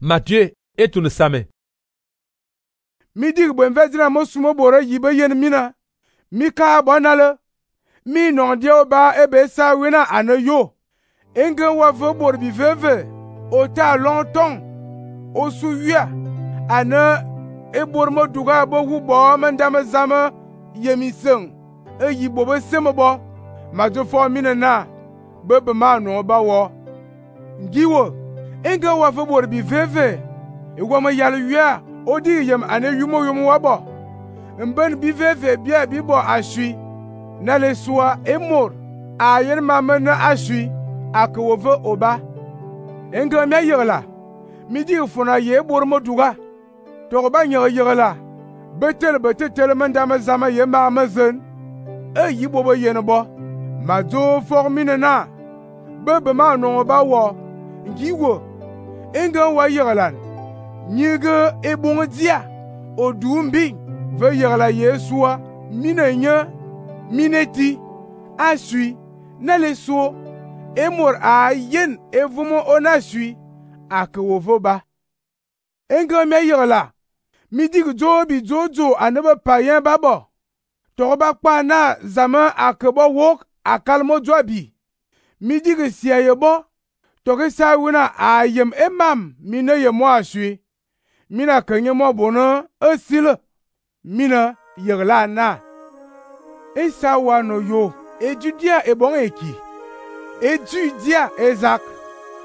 Matthieu et tun same. Mi dig bwen vedina mo sumo bora yibe yen mina. Mi ka bonale. Mi non dia ba ebe sa wina anayo. Enge wa ve bor bi veve. O ta longtemps. O su wia. Ana e bor mo duga bo hu bo mandama zama yemiseng. E yibo be seme bo. Ma jo fo mina na. Bebe ma no ba wo. Ngiwo. Enge wa ve bor bi veve. E wa ma yal wia. O di yem ane yumo wabo. Mben bi veve bia bi bo ashui. Na le soa emor. A yen mame na ashui. Ake wove oba. Enge me yegla. Mi di funa ye bor mo duga. To ba yegla. Betel mandama zama ye ma mazen. E yibo bo yen bo. Ma do formine na. Bebe ma no ba wo. Ngiwo. Enge wa yeglan. Nyige ebon dia odumbi ve yegla Yesua minenya mineti asui na leso emor a yen evumo onasui akewovoba enga me yegla mi dig jobi jojo anebe payen babo to ba pa na zama akebo wok akalmo jobi mi dig siayebo to ke sa wina ayem emam mine yemo asui mina kenye mo bono esile mina yegla na esa wano yo ejudia ebon eki ejudia ezak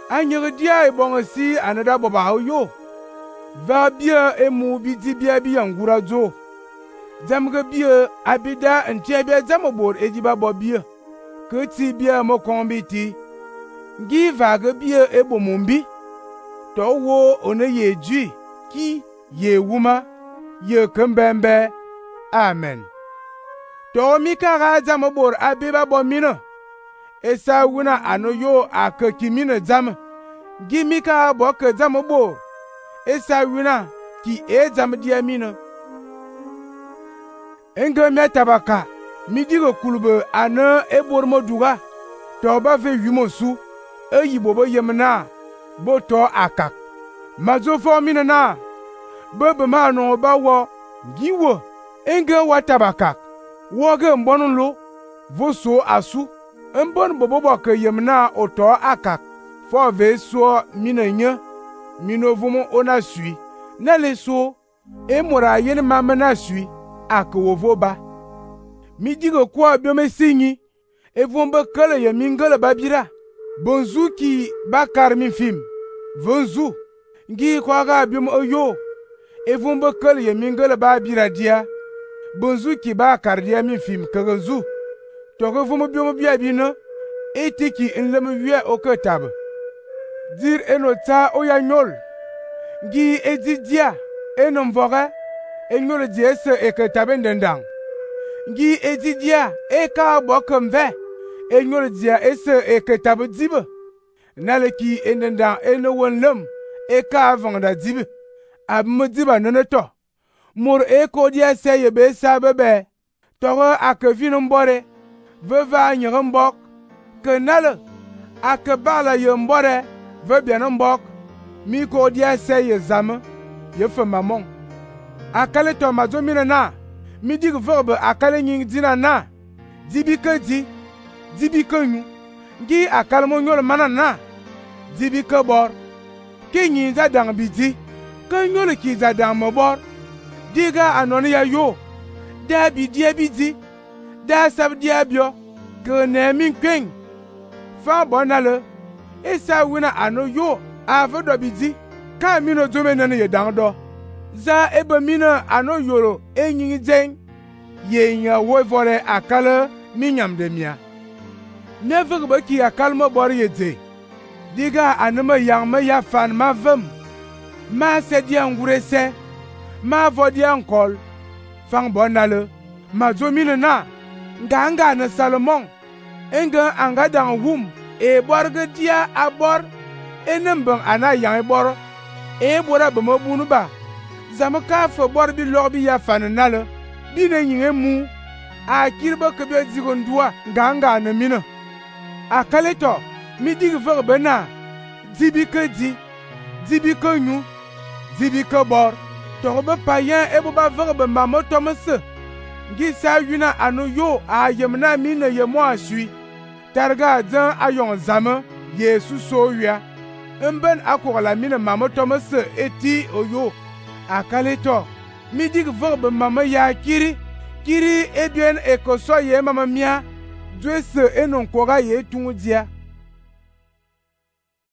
anyedia ebon si anada boba yo va bia emu bidi bia bi yangura jo jamge bia abida ntia bia jamobor ejiba bobia ke ti bia mo kombiti gi vague bia ebomombi to wo one yeju ki ye wuma ye kembembe amen to mi ka jam bor abiba bo mina esa wuna ano yo akaki mina jam gi mi ka bo ke jam bor esa wuna ki e jam dia mina enge me tabaka mi digo kulube ana e bor mo duga to ba fe yumo su e yibo bo yemna bo to akak mazo fo mina na bebe ma no ba wo giwo enge wa tabakak wo ge mbonu lo vo so asu mbon bobo ke yemna oto akak fo ve so mina nya minovumo ona sui na le so e mora yen mama na sui akwovo ba mi digo kwa biome sinyi e vombe kele ye mingele babira bonzu ki bakar mi film vonzu ngi kwa ga biom oyo evumbe kele ye mingele ba bira dia bonzu ki ba kardia mi film kaganzu to ko vumo biom bia bi no etiki nlem wie oketab dir enota oya nyol ngi edidia enom voga enyol die se eketabe ndendang ngi edidia eka bokomve enyol dia ese eketabe dibe naleki endendang eno wonlem eka vangda dibe abmediba neneto mur eko dia seye be sabebe togo akevin mbore veva nyere mbok kenale akebala ye mbore ve bien mbok mi ko dia seye zame ye fe mamon akale to mazo mina na mi dig verbe akale nying dina na dibi ke dibi ke nyu ngi akale mo nyol mana na dibi ke bor ke nyi za dang bidi ke nyole ki za dang mo bor diga anoni ya yo da bi dia bidi da sab dia bio ke ne min kwen fa bonale esa wina ano yo ave do bidi ka mi no zome nene ye dang do za ebe mi no ano yoro enyi jen ye nya wo vore akale mi nyam de mia ne vugbe ki akale mo bor ye de diga anema yang me ya fan ma vem ma se dia ngure se ma vo dia nkol fang bonale ma zomine na nganga na salomon enga anga dang wum e borge dia abor enembang ana yang bor e bora be mabunu ba zamaka fo bor bi lorbi ya fan nale bi ne yin mu a kirba ke be zigondua nganga na mina akaleto mi dig verbe na dibi ke di Zibi ke nyu, zibi ke bor. Tog be payen e bo ba vere be mamo tomse. Ngi sa yuna anu yo a yemna mi ne yemo asui. Targa zan ayon zame Yesu so ya. Mben akola mi ne mamo tomse eti oyo. Akaleto mi dig vere be mamo ya kiri eduen ekoso ye mama mia. Dwese enon koga ye tungu dia.